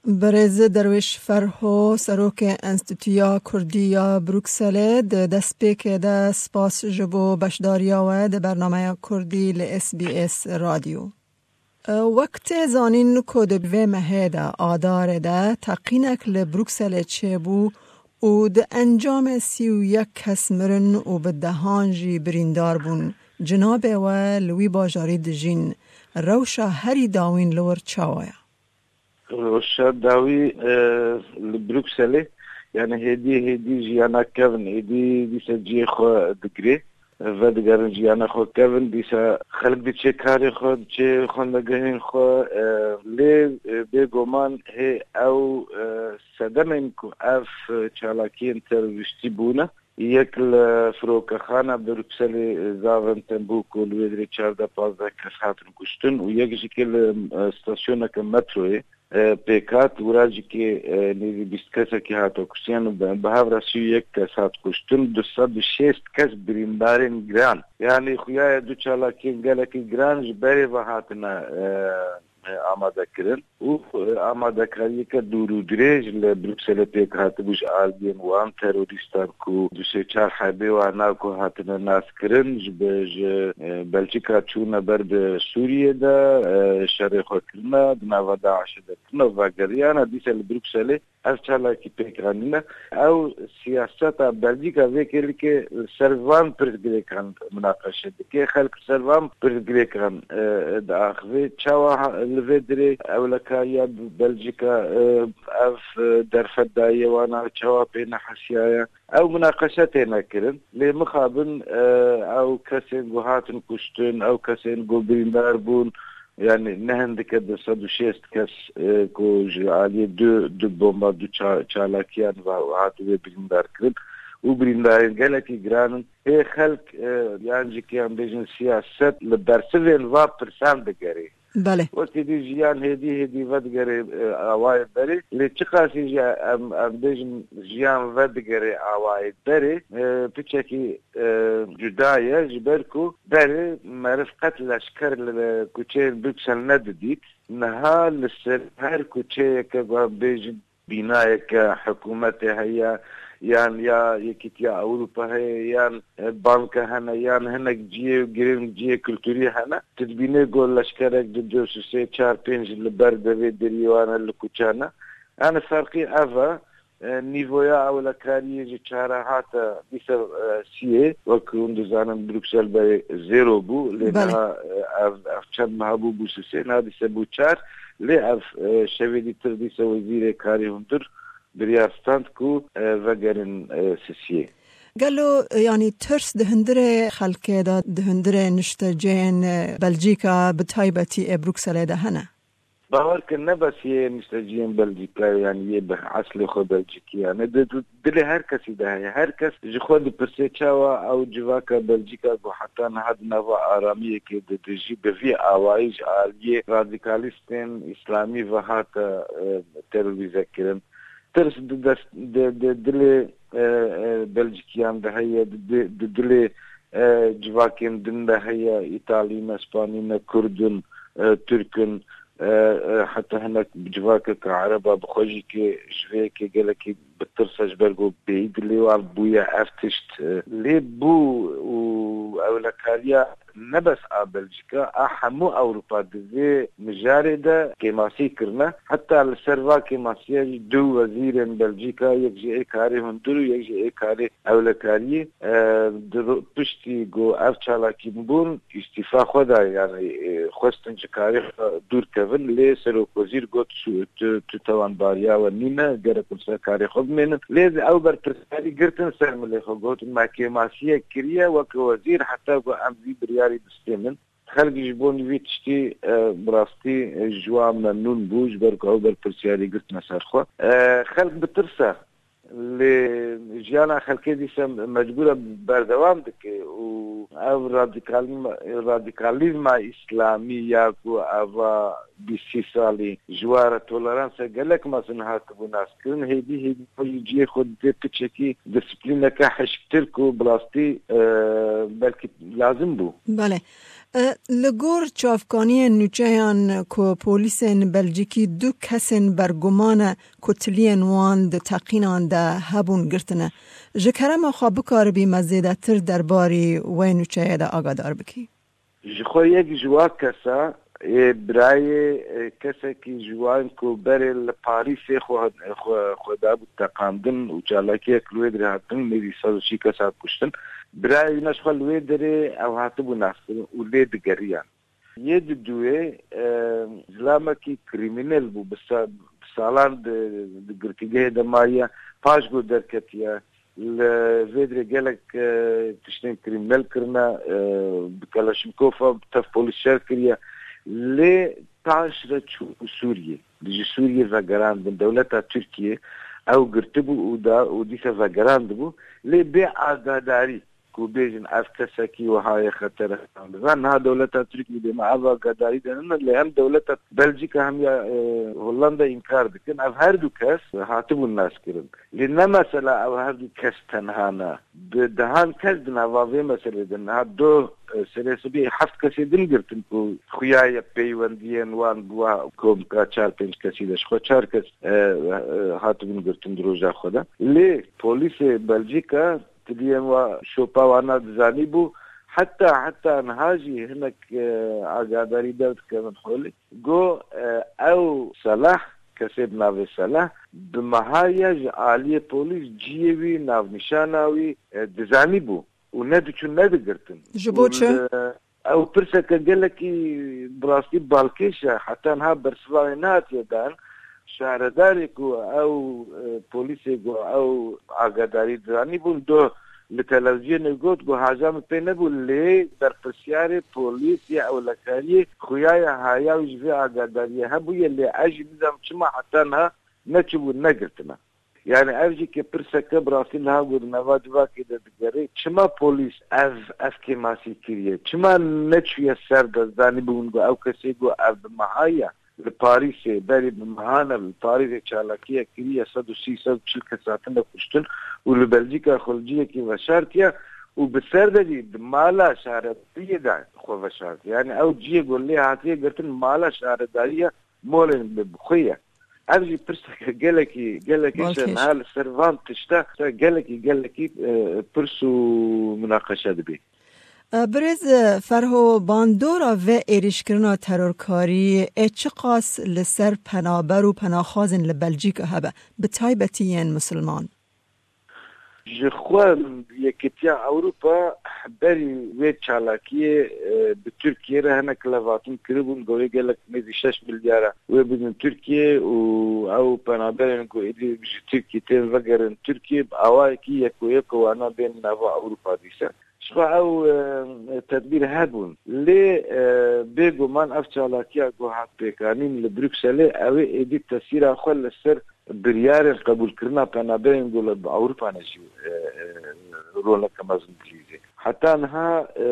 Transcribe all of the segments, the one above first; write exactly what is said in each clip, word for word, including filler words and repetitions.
Birêz Derwêş Ferho, serokê Enstîtuya Kurdî ya Brukselê, di destpêkê de spas ji bo beşdariya we di bernameya Kurdî li S B S Radyo. Wek tê zanîn ku di vê mehê de, Adarê de, teqînek li Brukselê çêbû û di encamê sî û yek kes mirin û bi dehan jî birîndar bûn. Cinabê we li wî bajarî dijîn. Rewşa herî dawîn li wir çawa ye? Rewşa dawî, e, li Brukselê, yani hêdî hêdî jiyana kevin, hêdî dîsa cihê xwe digirê, vedigerin jiyana xwe kevin, dîsa xelk diçe karê xwe, diçe xwendegehên xwe, e, lê, e, bêguman hê ew, e, sedemên ku ev, e, çalakiyên terorîstî bûne, yek li firokexana Brukselê, e, Zaventem bû ku li wê dirê çardeh pazdeh kes hatin kuştin û yek jî ke li, e, stasyoneke metroyê, e, pêk hat, wira jî ke, e, nêzî bîst kesekî hate kuştiyan û bi, bi hev re sî û yek kes hat kuştin, du sed û şêst kes birîndarên giran. Yanî xuya ye du çalakiyên gelekî giran ji berê ve hatine, e, e, amade kirin û, e, amadekariyeke dûr û dirêj li Brukselê pêk hatibû ji aliyên wan terorîstan ku du sê çar hebê wana ku hatine naskirin ji bi, ji, e, Belçika çûne ber bi Sûriyê de, e, şerê xwe kirine, di nava DAIŞê de kirine û vegeriyane dîsa li Brukselê ev çalakî pêk anîne. Ew siyaseta Belgîka vê kêlikê li ser van pirsgirêkan minaqeşe dike. Xelk li ser van pirsgirêkan, e, diaxive. Çawa ha-, li vê dirê ewlekariya Belgîka, e, ev, e, derfet daye wana, çawa pê nehesiyaye? Ew minaqeşe têne kirin. Lê mixabin, e, ew kesên ku hatin kuştin, ew kesên ku birîndar bûn, yani ne hindike du sed û şêst kes, e, ku ji aliyê du, du bomba, du ça-, çalakiyan ve hatibû birîndar kirin û birîndarên gelekî giran in. Hê xelk, e, yan jî ke em bêjin siyaset li bersivên va pirsan digerê. Belê. Wekî dî jiyan hêdî hêdî vedigere, e, awayê berê. Lê çiqasî jî em, em bêjin jiyan vedigere awayê berê, e, piçekî, e, cuda ye, ji ber ku berê meriv qet leşker li kuçeyên Bruksel nedidît. Niha li ser her kuçeyeke, em bêjin, bînayeke hikûmetê heye, yan ya Yekîtiya Ewropa heye, yan, e, banke hene, yan hinek cihê girîng, cihê kulturî hene. Tu dibînê ku leşkerek di du, sê, çar, pênc li ber devê deriyê wan e, li kuçan e. Yani ferqî ev e. E, nîvoya ewlekariyê ji çara hate dîse, e, siyê, wek hûn dizanin Bruksel berê zero bû, lê Belê. niha, e, ev, ev çend meha bû, bû sisê, niha dîse bû çar, lê ev, e, şevê dîtir dîse wezîrê karê hundir biryar stand ku, e, vegerin, e, sisiyê. Gelo, e, yanî tirs di hundirê xelkê de, di hundirê nişteceyên, e, Belcîka, bi taybetî ê Brukselê de hene? Bawer ke ne bes yê nişteciyên Belcîka, yanî yê bi eslê xwe Belcîkî, yanî di, di dilê her kesî de heye. Her kes ji xwe dipirse çawa ew civaka Belcîka ku heta niha di nava aramiyekê de dijî, bi vî awayî ji aliyê radîkalîstên îslamî ve hate, e, terorîze kirin. Tirs di dest, di, di dilê, e, e, Belcîkiyan de heye, di, di, di dilê, e, civakên din de heye, Îtalî ne, Spanî ne, Kurd in, e, Tirk in, e, e, heta hinek civakeke Ereba bi xwe jî ke ji vê yekê gelekî bi tirs e, ji ber ku bêyî dilê wan bûye ev tişt. E, lê bû û ewlekariya ne bes a Belcîka, a hemû Ewropa di vê mijarê de kêmasî kirine. Heta li ser va kêmasiya jî du wezîrên Belcîka, yek ji ê karê hundir û yek ji ê karê ewlekariyê, e, di ro-, piştî ku ev çalakî bûn, îstîfa xwe da, yani, e, xwestin ji karê xwe dûr kevin, lê serokwezîr got, "Su-, tu, tu tawanbariya we nîne, gerek hûn ser karê xwe bimênin." Lê ew berpirsiyarî girtin ser milê xwe, got, "Me kêmasiyek kiriye weke wezîr, heta ku em vî biryarî bistênin." Xelk ji bo vî tiştî, e, bi rastî, e, ji wan memnûn bû, ji ber ku ew berpirsiyarî girtine ser xwe. E, xelk bi tirs e. Lê jiyana xelkê dîse mecbûr e berdewam dike û ev radîkalîzma, radîkalîzma îslamî ya ku eva bîst sî salî ji wan re toleransa gelek mezin hatibû naskirin, hêdî hêdî xwe ji cihê xwe didê piçekî disiplîneke hişktir ku bi rastî, e, belkî lazim bû. Belê. E, li gor çavkaniyên nûçeyan ku polîsên Belcîkî du kesên berguman e ku tiliyên wan di teqînan de hebûn girtine, ji kerema xwe bikaribî me zêdetir derbarî wê nûçeyê de agadar bikî? Ji xwe yek ji wa kesa, ê birayê, e, kesekî ji wan ku berê li Parîsê xwe, xwe, xwe dabû teqandin û çalakiyek li wê dirê hatin, nêzî sed û sî kes hat kuştin. Birayê wî ne ji xwe li wê derê ew hatibû naskirin û lê digeriyan. Yê di duwê, e, zilamekî krîmînel bû, bi sa-, bi salan di, di girtîgehê de maye, paş ku derketiye, li vê dirê gelek, e, tiştên krîmînel kirine, e, bi Kalaşnikofa bi tev polîs şer kiriye. Lê paş re çû Sûriyê. Ji Sûriyê vegerandin. Dewleta Tirkiyê ew girtibû û da, û dîsa vegerandibû. Lê bê agadarî ku bêjin ev kesekî wiha ye xetere. Niha dewleta Tirkiyê dê me ev agadarî de nîne, lê hem dewleta Belcîka hem ya, e, Hollanda înkar dikin. Ev her du kes hatibûn naskirin. Lê ne mesela ew her du kes tenha ne. Bi dehan kes di nava vê meselê de niha doh, e, serê sibê heft kesê din girtin ku xuya ye peywendiyên wan bi wa komka çar pênc kesî de ji xwe çar kes, e, e, hatibûn girtin di roja xwe de. Lê polîsê Belcîka tiliyên wa şopa wana dizanîbû. Heta, heta niha jî hinek, e, agadarî derdikevin holê. Got, e, ew Selah, kesê bi navê Selah, bi meha ye ji aliyê polîs ciyê wî navnîşana wî, e, dizanîbû û nediçûn nedigirtin. Ji bo çi? Û li, ew pirseke gelekî bi rastî balkêş e, heta niha bersiva wê nehatiye dan. Şaredarê ku ew, e, polîsê ku ew agadarî dizanîbûn, doh li televîzyonê got, got, haja min pê nebû, lê berpirsyarê polîs ya ewlekariyê xuya ye haya wî ji vê agadariyê hebûye, lê ez jî nizanim çima heta niha neçûbû negirtine. Yani ev jî ke pirseke bi rastî niha ku di nava civakê de digere, çima polîs ev, ev kêmasî kiriye? Çima neçûye ser de, zanîbûn ku ew kesê ku ev bi meha ye, li Parîsê, berî bi mehan e, li Parîsê çalakiyek kiriye, sed û sî, sed û çil kes hatine kuştin û li Belcîka xwe li cihekî veşartiye û bi ser de jî di mala şaredariyê de xwe veşartiye. Yani ew cihê ku lê hatiye girtin mala şaredariye molên bi xwe ye. Ev jî pirseke gelekî, gelekî Balkêş. Niha li ser van tişta, gelekî, gelekî, e, pirs û munaqeşe dibê. E, birêz, e, Ferho, bandora vê êrîşkirina terorkarî ê çiqas li ser penaber û penaxwazên li Belcîka hebe, bi taybetî yên misilman? Ji xwe Yekîtiya Ewropa berî wê çalakiyê, e, bi Tirkiyê re hinek levatin kiribûn, got wê gelek nêzî şeş milyar e wê bidin Tirkiyê û ew penaberên ku êdî ji Tirkiyê tên vegerin Tirkiyê bi awayekî yeko yeko wana bên nava Ewropa dîse. Ji xwe ew, e, tedbîr hebûn. Lê, e, bêguman ev çalakiya ku hat pêkanîn li Brukselê, ew ê êdî tesîra xwe li ser biryarên qebûlkirina penaberên ku li Ewropa ne jî, e, e, roleke mezin dilîzê. Heta niha, e,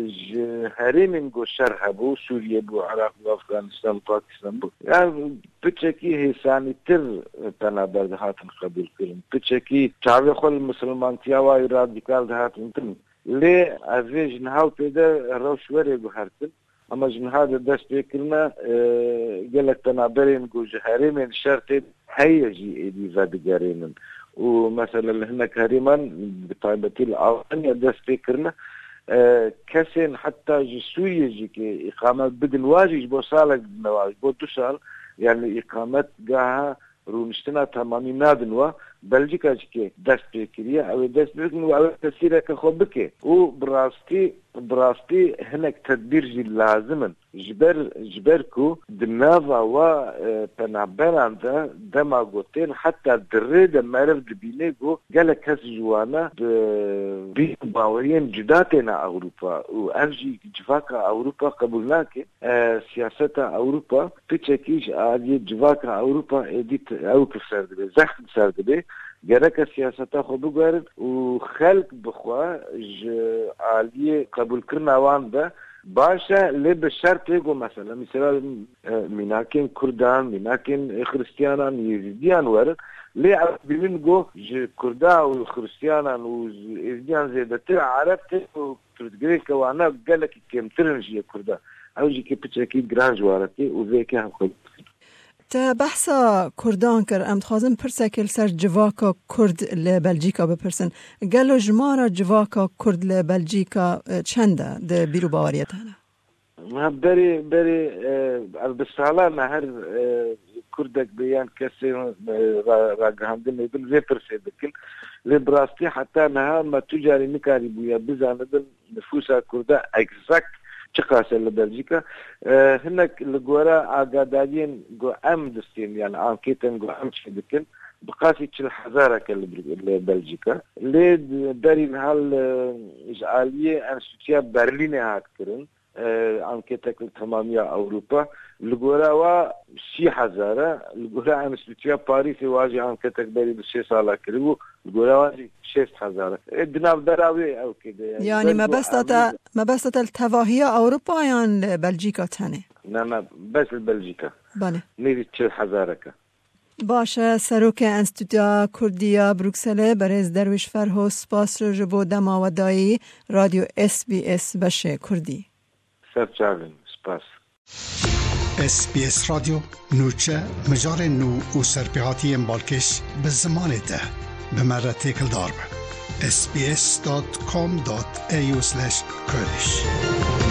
ji herêmên ku şer hebû, Sûriye bû, Iraq bû, Afganistan, Pakistan bû. Yani piçekî hêsanîtir penaber dihatin qebûlkirin. Piçekî çavê xwe li misilmantiya wa radîkal dihatin kirin. Lê ev vê ji niha û pê de rewş were guhertin. Ama ji niha de dest pê kirine, e, gelek penaberên ku ji herêmên şer tên heye jî êdî vedigerênin. Û mesela li hinek herêman, bi taybetî li Almanya dest pê kirine, e, kesên heta ji Sûriyê jî ke îqamet bidin wa jî ji bo salek didine wa, ji bo du sal, yani îqametgeha rûniştina temamî nadin wa, Belcîka jî ke dest pê kiriye, ew ê dest pê bikin û ew ê tesîreke xwe bike. Û bi rastî, bi rastî hinek tedbîr jî lazim in. Ji ber, ji ber ku di nava wa, e, penaberan de dema ku tên heta di rê de meriv dibîne ku gelek kes ji wana bi bîr û baweriyên cuda têne Ewropa û ev jî civaka Ewropa qebûl nake. E, siyaseta Ewropa piçekî ji aliyê civaka Ewropa êdî t-, ew bi ser dibe, zext bi ser dibe. Gereke siyaseta xwe biguherin û xelk bi xwe ji aliyê qebûlkirina wan de baş e, lê bi şertê ku mesela, mesela, e, mînakên Kurdan, mînakên Xiristiyanan, Yezîdiyan werin, Lê ew dibînin ku ji Kurda û Xiristiyanan û ji Êzdiyan zêdetir Ereb tê û pirsgirêka wana gelekî kêmtir in ji yê Kurda. Ew jî kê piçekî giran ji wan re tê û vê yekê hevxwedî dikin. Te behsa Kurdan kir. Em dixwazin pirsekê li ser civaka Kurd li Belcîka bipirsin. Gelo jimara civaka Kurd li Belcîka, e, çend e di bîr û baweriya te de? Ha, berê, berê, e, ev bi salan e her, e, Kurdek bê yan kesê, e, ra-, ragihandinê bin vê pirsê dikin. Lê bi rastî heta niha me tu carî nikarîbûye bizanibin nifûsa Kurda egzakt çiqas e li Belcîka. E, hinek li gora agadariyên ku em distên, yani ankêtên ku em çêdikin, bi qasî çil hezarek e li, li Belcîka. Lê berî niha li, ji aliyê Enstîtuya Berlînê hat kirin. E, anketek li temamiya Ewropa. Li gora wa sî hezar e. Li gora Enstîtuya Parîsê wa jî anketek berî bi sê sala kiribû. Li gora wa jî şêst hezar e. E, di navbera wê ew kê de ye. Yanî Ber ku mebesta em te, mebesta te li tevahiya Ewropa yan li Belcîka tenê? Ne, ne, bes li Belcîka. Belê. Nêzî çil hezarek e. Baş e, Serokê Enstîtuya Kurdî ya Brukselê, berêz Derwîş Ferho, spas ji bo dema we dayî Radyo S B S beşê Kurdî. Ser çavên, spas. S B S Radyo, nûçe, mijarên nû û serpêhatiyên balkêş bi zimanê te. Bi me re têkildar be. S B S dot com dot A U slash Kurdish.